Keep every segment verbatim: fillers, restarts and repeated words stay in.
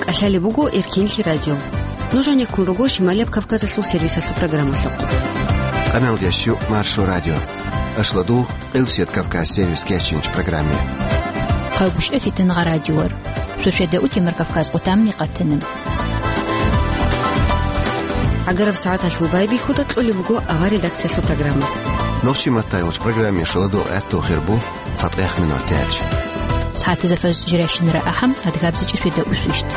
ТӀалъалеб буго Эркенлъи радио. Нуж гьанеккун руго Шималияб Кавказалъул сервисалъул программалъухъ. Къаналдияс щу Маршо радио. Ашладул Къилсият Кавказ сервис кечинч программе. Хъагушев Фитнагъа радиор. Суседа утимар Кавказ къутамни къатана. ГӀагараб сагӀаталъул байбихьуда кьолеб буго авар редакциялъул программа. Нохчи маттайгъуч программе шуладул гӀаттул хирбу цатӀех минут тяч. СагӀатазда фаз жиращинара ахӀам, адгабзичӀи суседа усвищт.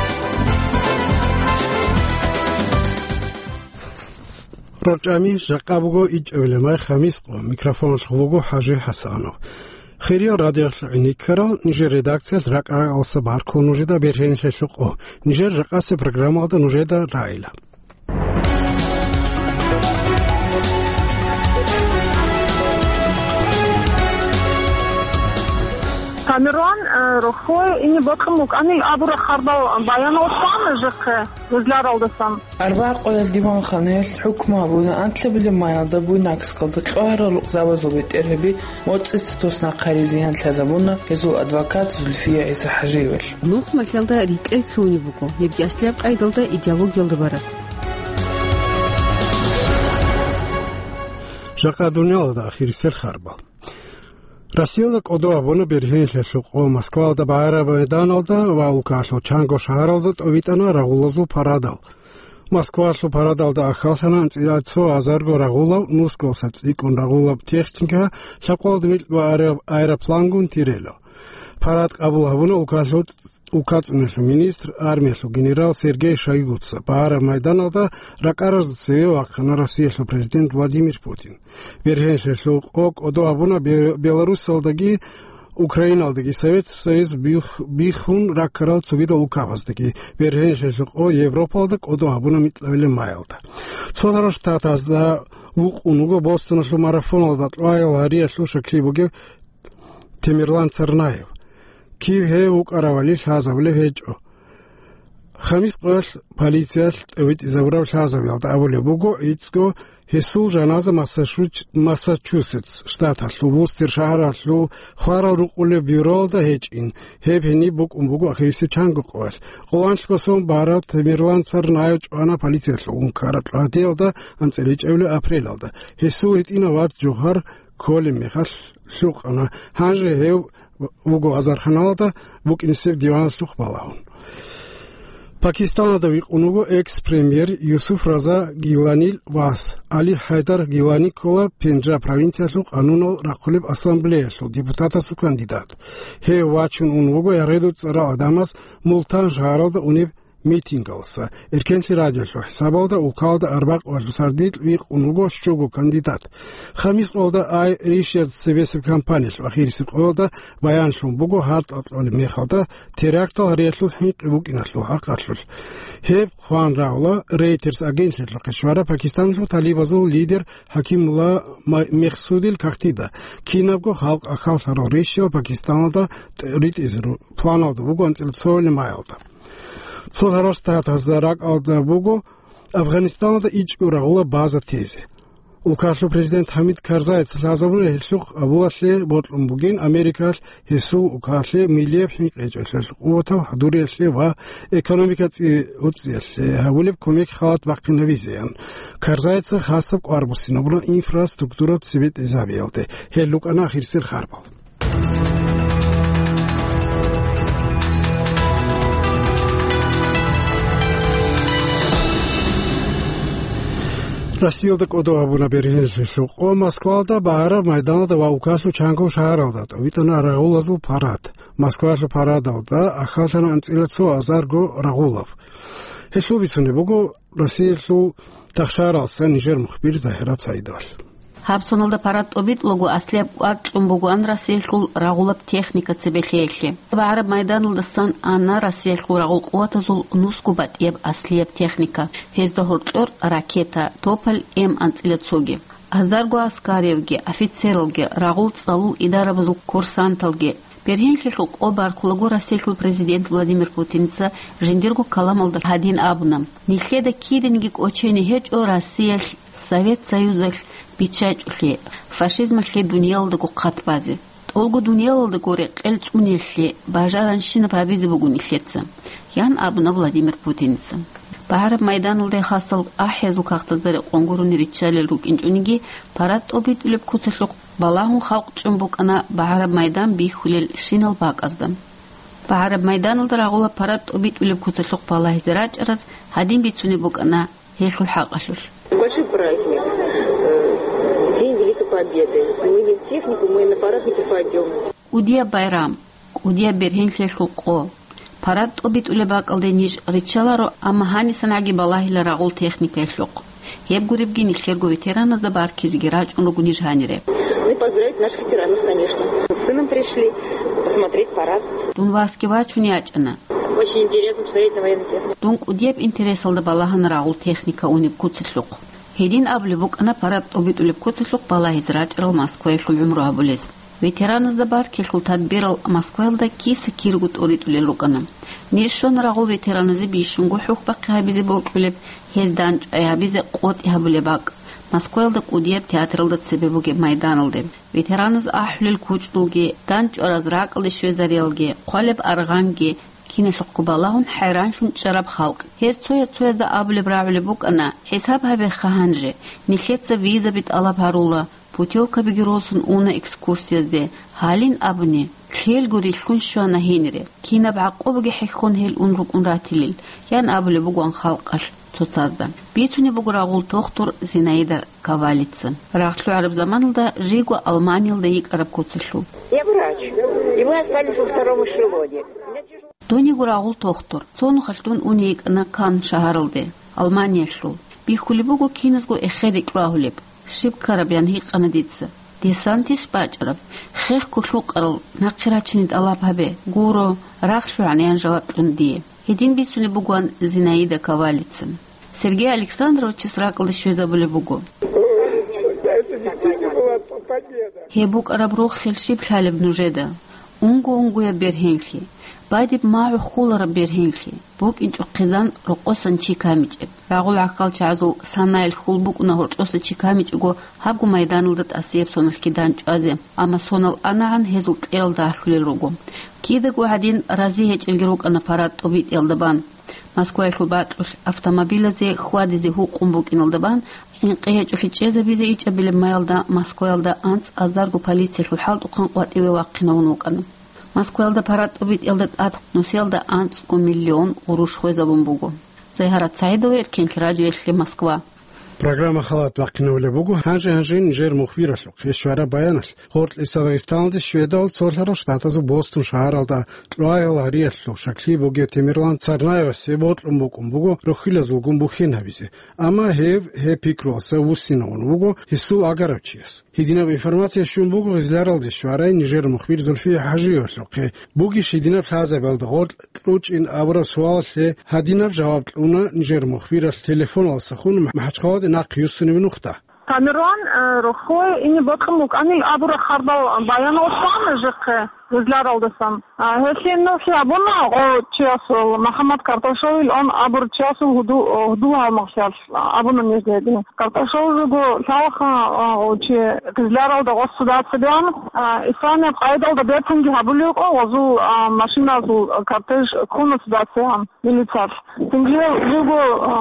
РорчӀами, жакъа буго ичӀабилеб май, хамис къо. Микрофоналъухъ буго ХӀажи ХӀасанов. Хириял радиоялъул гӀиниккарал, нижер редакциялъ ракӀ-ракӀалдаса баркула нужеда бергьенлъелъул къо. Нижер жакъасеб программалда нужеда рагӀила. Тамерлан, э, рохой ине бокьун букӀанин абураб хабар баян гьечӀо жинца, гьезул рагӀалдасан. Арбагъ къоялъ диванханаялъ хӀукму гьабуна анлъабилеб майалда Буйнакскалда кьогьарал рукъзабазул бетӀергьаби моцӀица тос нахъари зиян лъазабуна гьезул адвокат Зульфия ГӀисахӀажиевалъ. Нух малъалда рикӀкӀел лъугьунеб буго, гьебги аслияб къайдалда идеологиялда бараб. Жакъа дуниялалда ахирисел харбал. Россиялда кӀодо гьабуна бергьенлъелъул къо Москвалда багӀараб майданалда ва улкалъул чанго шагьаралда тӀовитӀана рагъулазул парадал. Москвалъул парадалда ахьаллъана анцӀила цо гьазарго рагъулав, нусгоса цӀикӀкӀун рагъулаб техника, лъабкъоялда микьго аэро-, аэроплангун тирело. Парад къабул гьабуна улкалъул, улкацӀуналъул министр, армиялъул генерал Сергей Шойгуца. Багьараб майданалда ракӀаразда цеве вахъана Россиялъул президент Владимир Путин. Бергьенлъелъул къо кӀодо гьабуна Бе-, Беларусалдаги, Украиналдаги, Совет Союз бих-, бихьун раккарал цогидал улкабаздаги. Бергьенлъелъул къо Европалда кӀодо гьабуна микьабилеб майалда. Цо гьару штатазда вукъун вуго Бостоналъул марафоналда кьваял гьариялъул щаклъи бугев Темирлан Царнаев. Кив гьев вукӀаравали лъазабулеб гьечӀо. Хамис къоялъ полициялъ тӀовитӀизабураб лъазабиялда абулеб буго, гӀицӀго гьесул жаназа Массачуч-, Массачусетс штаталъул Вустер шагьаралъул хварал рукъулеб бюроялда гьечӀин. Гьеб гьениб букӀун буго ахирисеб чанго къоялъ. Къоло анлъго сон барав Темирлан Царнаев чӀвана полициялъул ункараб гьадиялда анцӀила ичӀабилеб апрелалда. Гьесул гьитӀинав вац жугьар кколеб мехалъ лъукъана. Гьанже гьев вуго азарханалда букӀинесеб диваналъухъ балагьун. Пакистаналда вихъун вуго экс-премьер Юсуф Раза Гиланил вас. Али Хайдар Гилани ккола Пенджаб провинциялъул къанунал рахъулеб ассамблеялъул депутатасул кандидат. Гьев вачун ун вуго ягъидул цӀарал гӀадамаз Мултан шагьаралда унеб митингалса. Эркенлъи радиолъул хӀисабалда улкалда арбакъ ва сардилъ вихъун вуго щуго кандидат. Хамис къоялда Ай Ришият цебесеб компаниялъул ахирисеб къоялда баянлъун буго гьатӀа кьолеб мехалда терактал гьариялъул хӀинкъи букӀиналъул хӀакъалъулъ. Гьеб хъван рагӀула Reuters агентлъиялъухъе щвараб Пакистаналъул талибазул лидер ХӀакимулла Ма-, Мехсудил кагътида. Кинабго халкъ ахьаллъарал ришиял Пакистаналда тӀ-, ритӀизе ру-, планалда буго анцӀила цоялъ маялда. Цо гьарал штатазда ракӀалда буго Афганистаналда ичӀго рагъула база тезе. Улкалъул президент ХӀамид Карзайца лъазабуна гьелъухъ абулалъе бокьун бугин Америкалъ гьесул улкалъе милияб хӀинкъичӀелъул къуватал хӀадуриялъе ва экономика цӀи-, уцӀиялъе гьабулеб кумек халат бахъинабизеян. Карзайца хасаб кӀвар буссинабуна инфраструктура цебетӀезабиялде. Гьел рукӀана ахирисел харбал. Россиялда кӀодо гьабуна бергьенлъи лъукъо Москвалда, багьараб майданалда ва улкалъул чанго шагьаралда тӀовитӀана рагъулазул парад. Москвалъул парадалда ахьаллъана анцӀила цо азарго рагъулав. Гьелъул бицунеб буго Россиялъул тахшаралса нижер мухбир Загьират Саидовалъ. Гьаб соналда парад тӀобитӀулаго аслияб кӀвар кьун бугоан Россиялъул рагъулаб техника цебе лъеялъе. БагӀараб майданалдасан ана Россиялъул рагъул къуватазул нусго батӀияб аслияб техника. Гьезда гьоркьор ракета, Тополь М анцӀила цоги. Гьазарго аскариявги, офицералги, рагъул цӀалул идарабазул курсанталги, бергьенлъилъул къо баркулаго Россиялъул президент Владимир Путинца жиндирго каламалда гьадин абуна: «Нилъеда кидениги кӀочене гьечӀо Россиялъ Совет Союзалъ биччачӀулъи, фашизмалъе дуниялалдаго хъат базе». ТӀолго дуниялалда гуре къел цӀуниялъе бажаранщинаб гьабизе буго нилъеца, ян абуна Владимир Путиница. БагӀараб майданалда хасал ахӀиязул кагътазда рекъон гурони риччалел рукӀинчӀониги, парад тӀобитӀулеб куцалъухъ балагьун халкъ чӀун букӀана багӀараб майдан бихьулел щинал бакӀазда. БагӀараб майданалда рагъула парад тӀобитӀулеб куцалъухъ балагьизе рачӀараз гьадин бицунеб букӀана гьелъул хӀакъалъулъ. Большой праздник, э, День Великой Победы. Мы не в технику, мы на парад не попадём. КӀудияб байрам, кӀудияб бергьенлъиялъул къо. Парад тӀобитӀулеб бакӀалде ниж риччаларо, амма гьанисанагӀаги балагьила рагъул техникаялъухъ. Гьеб гуребги нилъерго ветераназда баркизеги рачӀун руго ниж гьанире. Ну и поздравить наших ветеранов, конечно. С сыном пришли посмотреть парад. Дун васги вачун ячӀана. Очень интересно посмотреть на военную технику. Дун кӀудияб интересалда балагьана рагъул техника унеб куцалъухъ. Гьедин абулеб букӀана парад тӀобитӀулеб куцалъухъ балагьизе рачӀарал Москваялъул гӀумру гьабулез. Ветераназда баркилъул тадбирал Москваялда киса-кирго тӀоритӀулел рукӀана. Ниж щвана рагъул ветераназе бищунго хӀухьбахъи гьабизе бокьулеб, гьез дандчӀвай гьабизе къотӀи гьабулеб бакӀ, Москваялда кӀудияб театралда цебе бугеб майданалде. Ветераназ ахӀулел кучӀдулги, дандчӀвараз ракӀалде щвезариялги, хъвалеб аргъанги, киналъухъго балагьун хӀайранлъун чӀараб халкъ. Гьез цояз-цоязда абулеб рагӀулеб букӀана: «ХӀисаб гьабеха гьанже, нилъеца визаби тӀалаб гьарула, путёвкабиги росун уна экскурсиязде, гьалин абуни, лъелго рилълъун щвана гьенире. Кинаб гӀакъубаги хӀехьон гьел ун рукӀун ратилел», – ян абулеб бугоан халкъалъ цоцазда. Бицунеб буго рагъул тохтур Зинаида Кавалица. Рагъ лъугӀараб заманалда жийго Алманиялда йикӀараб куцалъул. Я врач, и мы остались во втором эшелоне. Дон йиго рагъул тохтур. Цо нухалъ дун уни йикӀана Кан шагьаралде, Алманиялъул. Бихьулеб буго киназго эхеде кьвагьулеб. Щиб ккараб, ян гьикъана дица. Десантищ бачӀараб? Хехго лъукъарал, нахъе рачине тӀалаб гьабе, гуро, рагъ лъугӀан, ян жаваб кьун дие. Гьедин бицунеб бугоан Зинаида Кавалицин. Сергей Александровичас ракӀалде щвезабулеб буго. Это действительно была победа. Гьеб букӀараб рохел щиб лъалеб нужеда? Унго-унгояб бергьенлъи, бадиб магӀу хулараб бергьенлъи, букӀинчӀо хъизан рокъосан чи камичӀеб. Рагъул гӀахьалчагӀазул санаялъ хьул букӀуна гьоркьоса чи камичӀого гьабго майданалда тӀасияб соналъ кидан чӀвазе, амма сонал анагӀан гьезул кьерал дагьлъулел руго. Кидаго гьадин рази гьечӀелги рукӀана парад тӀобитӀиялда бан. Москваялъул бакьулъ автомобилазе хьвадизе гьукъун букӀиналда бан, хӀинкъи гьечӀолъи чӀезабизе ичӀабилеб маялда Москваялда анцӀазарго полициялъул хӀалтӀухъан къватӀиве вахъинавун вукӀана. Москваялда парад тӀобитӀиялда тӀад нусиялда анцӀго миллион гъурущ хвезабун буго. Зайгьарат СагӀидова, Эркенлъи радиоялъе, Москва. Программа халат бахъинавулеб буго гьанже-гьанже нижер мухбиралъухъе щвараб баяналъ. Гъоркьиса Дагъистаналде Шведал цолъарал штатазул Бостон шагьаралда кьвагьал гьариялъул щаклъи бугев Темирлан Царнаевасе бокьун букӀун буго рохьилазулгун бухьен гьабизе, амма гьев гьеб пикруялъа вуссинавун вуго гьесул агарав чияс. Гьединаб информация щун буго гъизларалде щварай нижер мухбир Зульфия ХӀажиевалъухъе. Бугищ гьединаб лъазабиялда гъоркь кьучӀин абураб суалалъе гьадинаб жаваб кьуна нижер мухбиралъ телефоналдасахун МахӀачхъаладе нахъ юссунеб нухда. Тамерлан, э, рохьое ине бокьун букӀанил абураб хабар баянал щвана жехъе гъизларалдасан. А, гьелъие нухлъи абуна гъо чиясул, МухӀаммад Карташовил он абурав чиясул гьуду-, гьудул гьалмагълъиялъ абуна нижеде. Карташов жого лъалаха, а, гъо чи гъизларалда гъос цо дацебеян, а, исламияб къайдалда бертанги гьабулев гъозул, а, машиназул кортеж ккуна цо дацеян милицалъ. Цинги жого, а,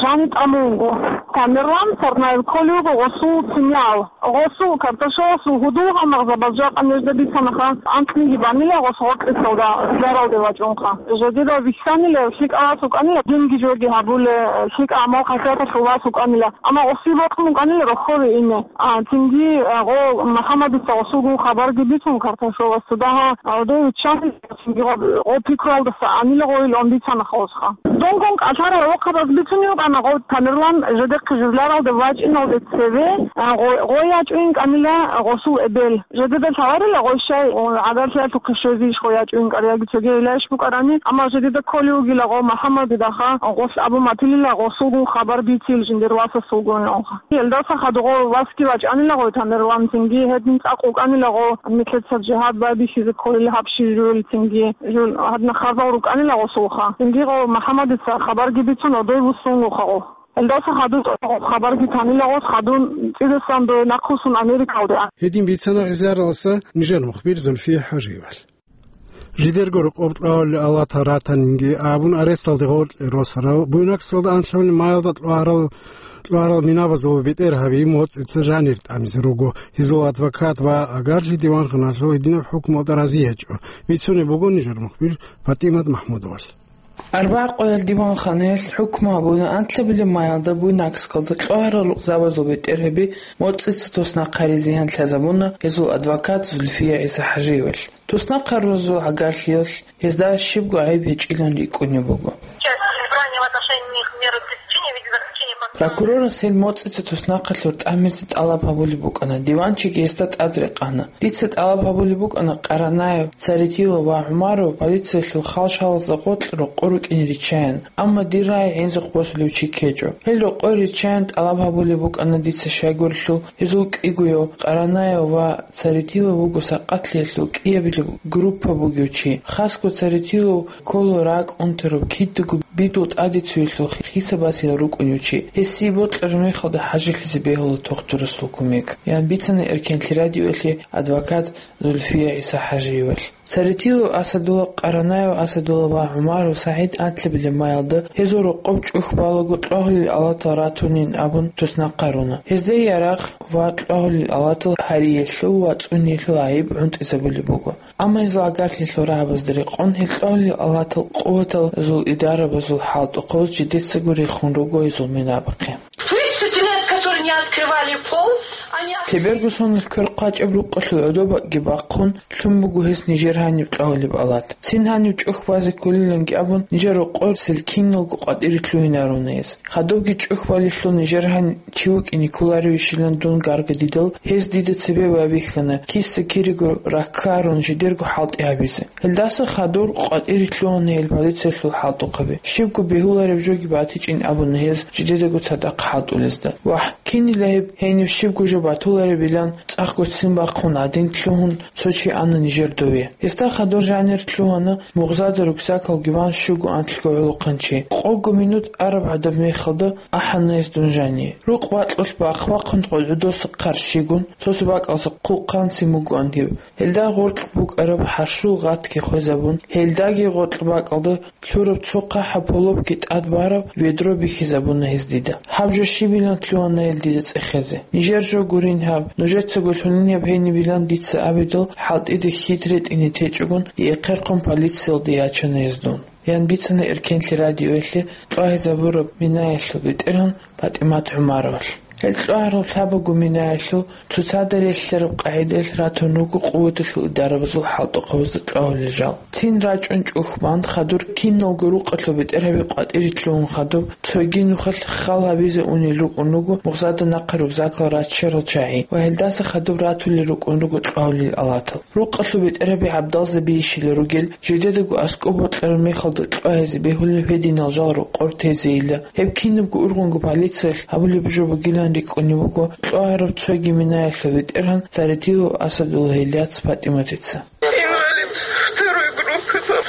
жани тӀамунго. Тамерлан Царнаев кколев гъосул циниял. Гъосул Карташовасул гьудул гьалмагъзабаз жакъа нижеда бицанаха, анкьниги банила гъос гъоркьисалда, гъизларалде вачӀунха. Жедеда вихьанила, лъикӀав вас вукӀанила, динги жоги гьабуле, лъикӀав гӀамал-хасияталъул вас вукӀанила. Амма гъосие бокьун букӀанила рохьое ине. А, цинги, а, гъо МухӀаммадица гъосулгун хабарги бицун Карташовасда, дагьа, а, гъодов виччанила, цинги гъо, гъо пикруялдаса анила гъойил он бицанаха гъосха. Донгун кӀалъарал рохъабаз бицунев вукӀана гъо Тамерлан жедехъе журларалда вачӀиналде цеве, а, гъо, гъой ячӀуин кӀанила гъосул эбел. Жедеда лъаларила гъой щай, о, гӀадалъиялъухъе щвезейищ гъой ячӀуин кӀар яги цоги гьелайищ букӀарани, амма жедеда кколев вугила гъо МухӀаммадидаха, гъолъ абун батилила гъосулгун хабар бицил жиндир васасулгун онха. Гьелдаса хадугъо васги вачӀанила гъой Тамерлан, цинги гьедин цӀакъ вукӀанила гъо нилъеца жигьад байбихьизе кколел гьаб щиб жугьил, цинги жул гьадна хабал рукӀанила гъосулха. Цинги гъо МухӀаммадица хабарги бицун, одой вуссун вуха гъо. Гьелдаса хадуб хабарги танила гъос, хадуб цӀидасан дой нахъвуссун Америкалде. Гьедин бицана гъизараласа нижер мухбир Зульфия ХӀажиевал. Жидерго рокъоб кьвагьулел алатал ратанинги абун, аресталде гъоркье росарал, Буйнакскалда анлъабилеб майалда кьвагьарал, кьвагьарал минабазул бетӀергьаби МоцӀица жанир тӀамизе руго. Гьезул адвокат ва агарлъи диванханалъул гьединаб хӀукмуялда рази гьечӀо. Бицунеб буго нижер мухбир ПатӀимат МахӀмудовал. Арбагъ къоялъ диванханаялъ хӀукму гьабуна анлъабилеб майалда Буйнакскалда кьвагьарал рукъзабазул бетӀергьаби МоцӀица туснахъ гьаризе гьан лъазабуна гьезул адвокат Зульфия ГӀиса ХӀажиевалъ. Туснахъ гьарурал агарлъиялъ гьезда щибго гӀайиб гьечӀилан рикӀкӀунеб буго. Прокурорас гьел МоцӀица туснахъалъур тӀамизе тӀалаб гьабулеб букӀана, диванчиги гьесда тӀадрекъана. Дица тӀалаб гьабулеб букӀана Къаранаев, Царетилов ва ГӀумаров полициялъул хал-шалазда гъоркь рокъор рукӀине риччаян, амма дир рагӀи гӀинзухъ босулев чи ккечӀо. Гьел рокъор риччаян тӀалаб гьабулеб букӀана дица щайгурелъул, гьезул кӀигояв Къаранаев ва Царетилов вуго сакъатлъиялъул кӀиабилеб группа бугев чи. Хасго Царетилов ккола ракӀ унтараб, кидаго бидул тӀаде цуялъул хисабазеяв рукӀунев чи. Гьесие бокьараб мехалда хӀажилъизе бегьула тухтурасул кумек, ян бицана Эркенлъи радиоялъе адвокат Зульфия ГӀиса ХӀажиевалъ. Царетилов Асадулла, Къаранаев Асадулла ва ГӀумаров СагӀид анлъабилеб майалда гьезул рокъоб чӀухь балаго кьвагьулел алатал ратунин абун туснахъ гьаруна. Гьезда ярагъ ва кьвагьулел алатал гьариялъул ва цӀуниялъул гӀайиб гӀунтӀизабулеб буго. Амма гьезул агарлъиялъул рагӀабазда рекъон гьел кьвагьулел алатал къуваталазул идарабазул хӀалтӀухъабаз жидецаго рехун руго гьезул минабахъе. Тридцать лет, которые не открывали пол, они... Теберго сонил квер хъвачӀеб рукъалъул гӀодобги бахъун, лъун буго гьес нижер гьаниб кьвагьулеб алат. Цин гьанив чӀухь базе кколиланги абун, нижер рокъор сел киналго къватӀире лъугьинаруна гьес. Хадубги чӀухь балелъул нижер гьанив чи вукӀине кколаревищилан дун гаргадидал, гьез дида цебе байбихьана, киса-кирего раккарун, жидерго хӀалтӀи гьабизе. Гьелдаса хадур къватӀире лъугьана гьел полициялъул хӀалтӀухъаби. Щибго бегьулареб жоги батичӀин абуна гьез жидедаго цадахъ хӀалтӀулезда. Вагь, кинила гьеб, гьениб щибго жо батуларебилан цӀакъго ццин бахъун гӀадин лъугьун цо чи ана нижер дове. Гьесда хадур жанир лъугьана мугъзада рюкзакалги бан щуго анлъго гӀолохъанчи. Къого минут араб гӀадаб мехалда ахӀана гьес дун жание. Рукъ бакьулъ бахъ-бахъун гъодгӀодоса хъарщигун, цо-цо бакӀалса хъулхъанцин бугоан гьев. Гьелда гъоркь букӀараб хӀарщул гъатги хвезабун, гьелдаги гъоркь бакӀалда лъураб цо хъахӀаб полопги тӀад бараб ведро бихьизабуна гьез дида. Гьаб жо щибилан лъугьана гьел дида цӀехезе. Нижер жо гурин гьаб, нужецаго лъунин гьаб гьенибилан дица абидал, хӀалтӀида хьид ретӀине течӀогун, эхъерхъун полициялде ячана гьез дун, ян бицана Эркенлъи радиоялъе кьвагьизабураб минаялъул бетӀергьан ПатӀимат ГӀумаровалъ. Гьел кьвагьарал лъабабго минаялъул цоцазда релълъараб къагӀидаялъ ратун руго къуваталъул идарабазул хӀалтӀухъабазда кьвагьулел жал. Цин рачӀун чӀухь бан хадур киналго рукъалъул бетӀергьаби къватӀире лъугьун хадуб, цоги нухалъ хал гьабизе унел рукӀун руго мугъзада нахъа рюкзакал раччарал чагӀи ва гьелдаса хадуб ратулел рукӀун руго кьвагьулел алатал. Рукъалъул бетӀергьаби гӀабдалзабийищила ругел, жидедаго аскӀоб бокьараб мехалда кьвагьизе бегьулел гьединал жал рокъор тезейила. Гьеб кинабго ургъунго полициялъ гьабулеб жо бугилан рикӀкӀунеб буго кьвагьараб цоги минаялъул бетӀергьан Царетилов Асадулла гьел яц ПатӀиматица. Инвалид второй группы был.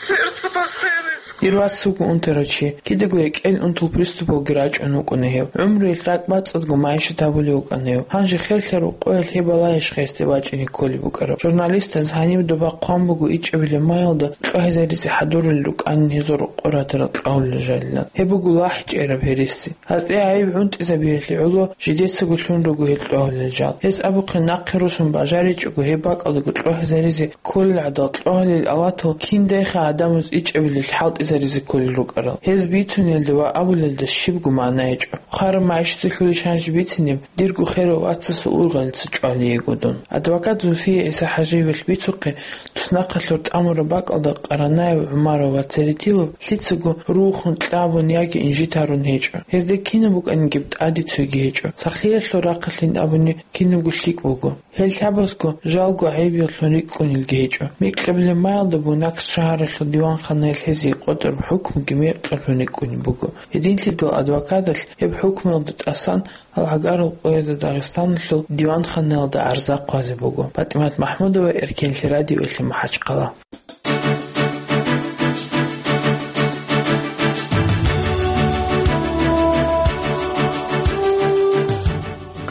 Сердце постоянно из... Ир вац вуго унтарав чи, кидаго рекӀел унтул приступалги рачӀун вукӀуна гьев. ГӀумруялъ ракӀбацӀцӀадго магӀишат гьабулев вукӀана гьев. Гьанже херлъараб къоялъ гьеб балагьищха гьесде бачӀине кколеб букӀараб? Журналистаз гьаниб доба хъван буго ичӀабилеб майалда кьвагьизаризе хӀадурулел рукӀанин гьезул рокъор ратарал кьвагьулел жалилан. Гьеб буго лахӀчӀераб гьереси. Гьасде гӀайиб гӀунтӀизабиялъе гӀоло жидецаго лъун руго гьел кьвагьулел жал. Гьес абухъе нахъе росун бажаричӀого гьеб бакӀалдаго кьвагьизаризе кколел гӀадал кьвагьулел алатал киндайха гӀадамаз ичӀабилел хӀалтӀизаризе кколел рукӀарал. Гьез бицунелда ва абулелда щибго магӀна гьечӀо. Хвараб магӀишаталъулищ гьанже бицинеб дирго херав вацасул ургъелица чӀвалиего дун. Адвокат Зульфия ГӀиса ХӀажиевалъ бицухъе, туснахъалъур тӀамураб бакӀалда Къаранаев ГӀумаров ва Церетилов лъицаго рухун кьабун яги инжит гьарун гьечӀо. Гьезда кинаб букӀанигиб тӀаде цойги гьечӀо. Сахлъиялъул рахъалъин абуни кинабго лъикӀ буго. Гьел лъабазго жалго гӀайиб лъун рикӀкӀунелги гьечӀо. Микьабилеб майалда Буйнакск шагьаралъул диванханаялъ гьезие къотӀараб хӀукмуги микьаб лъун рикӀкӀунеб буго. Гьединлъидал адвокаталъ гьеб хӀукмуялда тӀасан гьалгӀагарал къоязда Дагъистаналъул диванханаялда гӀарза хъвазе буго. ПатӀимат МахӀмудова, Эркенлъи радиоялъе МахӀачхъала.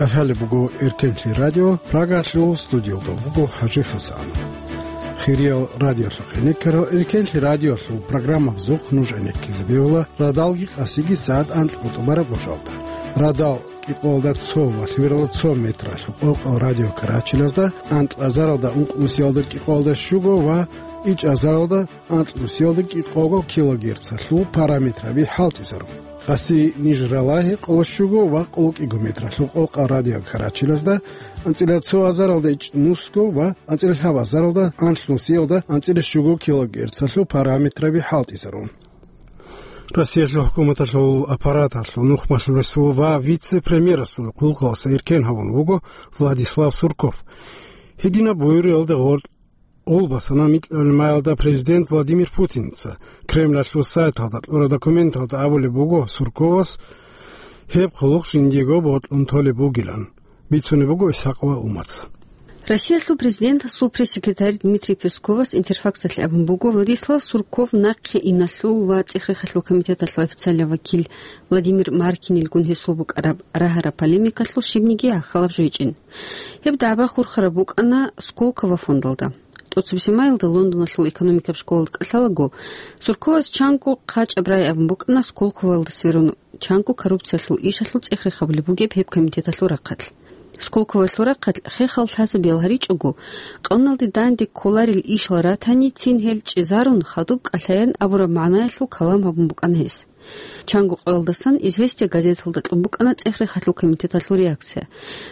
Ахалеб буго Эркенлъи радио, Прагалъул студиялда буго ХӀажи Хасанов. Хириял радиолъухъ гӀенеккарал Эркенлъи радиолъул программабазухъ нуж гӀенеккизе бегьула радалги къасиги сагӀат анкьго тӀубараб гъожалда. Радал кӀикъоялда цо ва лъугьаралда цо метралъул къокъал радио Карачилазда, анкьазаралда ункънусиялда кӀикъоялда щуго ва ичӀазаралда анкьнусиялда кӀикъого килогерцалъул параметраби хӀалтӀизарун. Къаси ниж ралагьи къоло щуго ва къоло кӀиго метралъул къокъал радио Карачилазда, анцӀила цо азаралда ичӀнусго ва анцӀила лъабазаралда анлънусиялда анцӀила щуго килогерцалъул параметраби хӀалтӀизарун. Россиялъул хӀукуматалъул аппараталъул нухмалъулесул ва вице-премьерасул хъулухъалъа эркен гьабун вуго Владислав Сурков. Гьединаб буюриялда гъоркь гъолбасана микьабилеб маялда президент Владимир Путинца. Кремлалъул сайталда кьураб документалда абулеб буго Сурковас гьеб хъулухъ жиндиего бокьун толеб бугилан. Бицунеб буго Исхакова Умаца. Россиялъул президентасул пресс-секретарь Дмитрий Песковас Интерфаксалъе абун буго, Владислав Сурков нахъе иналъул ва цӀех-рехалъул комитеталъул официаллаб вакил Владимир Маркинилгун гьесул букӀараб рагьараб полемикалъул щибниги гӀахьалаб жо гьечӀин. Гьеб дагӀба хурхараб букӀана Сколково фондалда. ТӀоцебесеб майилда Лондоналъул экономикаб школалда кӀалъалаго, Сурковас чанго хъачӀаб рагӀи абун букӀана Сколковоялда сверун, чанго коррупциялъул ишалъул цӀех-рех гьабулеб бугеб гьеб комитеталъул рахъалъ. Сколковоялъул рахъалъ хехал лъазабиял гьаричӀого, къаналде данде кколарел ишал ратани, цин гьел чӀезарун, хадуб кӀалъаян абураб магӀнаялъул калам гьабун букӀана гьес. Чанго къоялдасан «Известия» газеталда кьун букӀана цӀех-рехалъул комитеталъул реакция.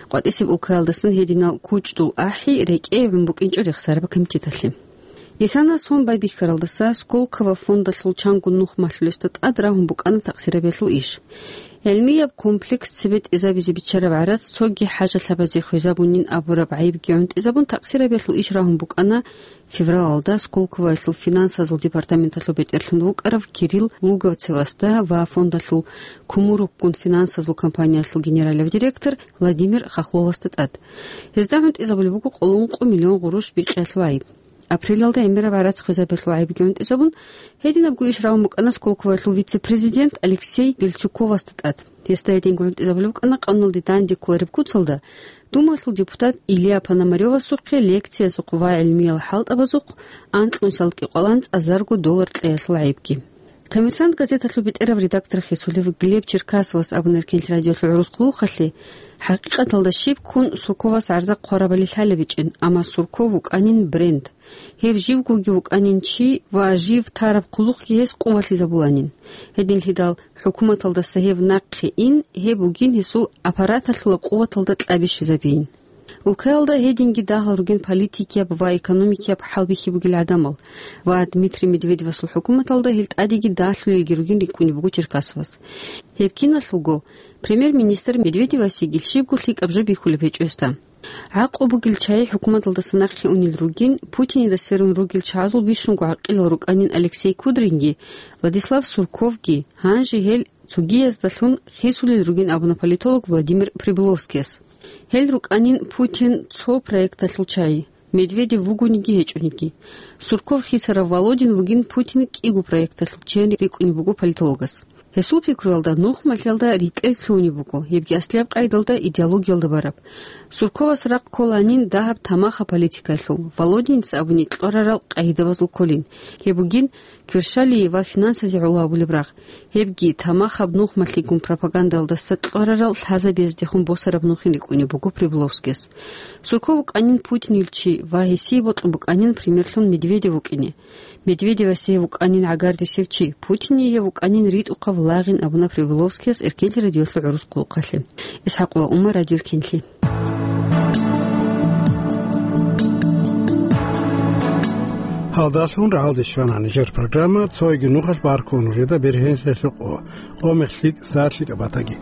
КъватӀисеб улкаялдасан гьединал кучӀдул ахӀи рекӀее гӀун букӀинчӀо рехсараб комитеталъе. Исана сон байбихьаралдаса Сколково фондалъул чанго нухмалъулесда тӀад рагьун букӀана такъсирабиялъул иш. ГӀилмияб комплекс цебетӀезабизе биччараб гӀарац цоги хӀажалъабазе хвезабунин абураб гӀайибги гӀунтӀизабун такъсирабиялъул иш рагьун букӀана февралалда Сколковоялъул финансазул департаменталъул бетӀерлъун вукӀарав Кирилл Луговцевасда ва фондалъул Кумуруккун финансазул компаниялъул генералав директор Владимир Хохловасда тӀад. Гьезда гӀунтӀизабулеб буго къоло ункъо миллион гъурущ бикьиялъул гӀайиб. Апрелалда гӀемераб гӀарац хвезабиялъул гӀайибги гӀунтӀизабун, гьединабго иш рагьун букӀана Сколковоялъул вице-президент Алексей Бельчуковасда тӀад. Гьесда гьединго гӀунтӀизабулеб букӀана къаналде данде кколареб куцалда Думаялъул депутат Илья Пономарёвасухъе лекциязухъ ва гӀилмиял хӀалтӀабазухъ анкьнусиялда кӀикъоялда анцӀазарго доллар кьеялъул гӀайибги. «Коммерсант» газеталъул бетӀерав редактор хисулев Глеб Черкасовас абуна Эркенлъи радиолъул гӀурус хъулухъалъе, хӀакъикъаталда щиб ккун Сурковас гӀарза хъварабали лъалеб гьечӀин, амма Сурков вукӀанин бренд. Гьев живгоги вукӀанин чи ва жив тараб хъулухъги гьес къувалъизабуланин. Гьединлъидал хӀукуматалдаса гьев нахъе ин, гьеб бугин гьесул аппараталъулаб къуваталда кьабищизабиин. Улкаялда гьединги дагьал ругин политикияб ва экономикияб хӀалбихьи бугел гӀадамал ва Дмитрий Медведевасул хӀукуматалда гьел тӀадеги далъулелги ругин рикӀкӀунеб буго Черкасовас. Гьеб киналъулго, премьер-министр Медведевасеги щибго лъикӀаб жо бихьулеб гьечӀо гьесда. ГӀакълу бугел чагӀи хӀукуматалдаса нахъе унел ругин, Путинида сверун ругел чагӀазул бищунго гӀакъилал рукӀанин Алексей Кудринги, Владислав Сурковги, гьанже гьел цогияздалъун хисулел ругин абуна политолог Владимир Прибыловскияс. Гьел рукӀанин Путин цо проекталъул чагӀи, Медведев вугониги гьечӀониги. Сурков хисарав Володин вугин Путин кӀиго проекталъул чиян рикӀкӀунеб буго политологас. Гьесул пикруялда нухмалъиялда ритӀел лъугьунеб буго, гьебги аслияб къайдалда идеологиялда бараб. Сурковас рахъ кколанин дагьаб тамахаб политикаялъул, Володиница абуни кьварарал къагӀидабазул кколин. Гьеб бугин кверщалие ва финансазе гӀоло гьабулеб рагъ. Гьебги тамахаб нухмалъигун пропагандалдаса кьварарал лъазабияздехун босараб нухин рикӀкӀунеб буго Прибыловскияс. Сурков вукӀанин Путинил чи ва гьесие бокьун букӀанин примерлъун Медведев вукӀине. Медведевасе гьев вукӀанин гӀагардисев чи, Путине гьев вукӀанин ритӀухъав лагъин абуна Прибыловскияс Эркенлъи радиолъул гӀурус хъулухъалъе. Исхакова Умма, Радио Эркенлъи. Гьалдалъун рагӀалде щвана нижер программа, цойги нухалъ баркула нужеда бергьенлъи къо, къо-мех лъикӀ, сагӀат лъикӀаб батаги.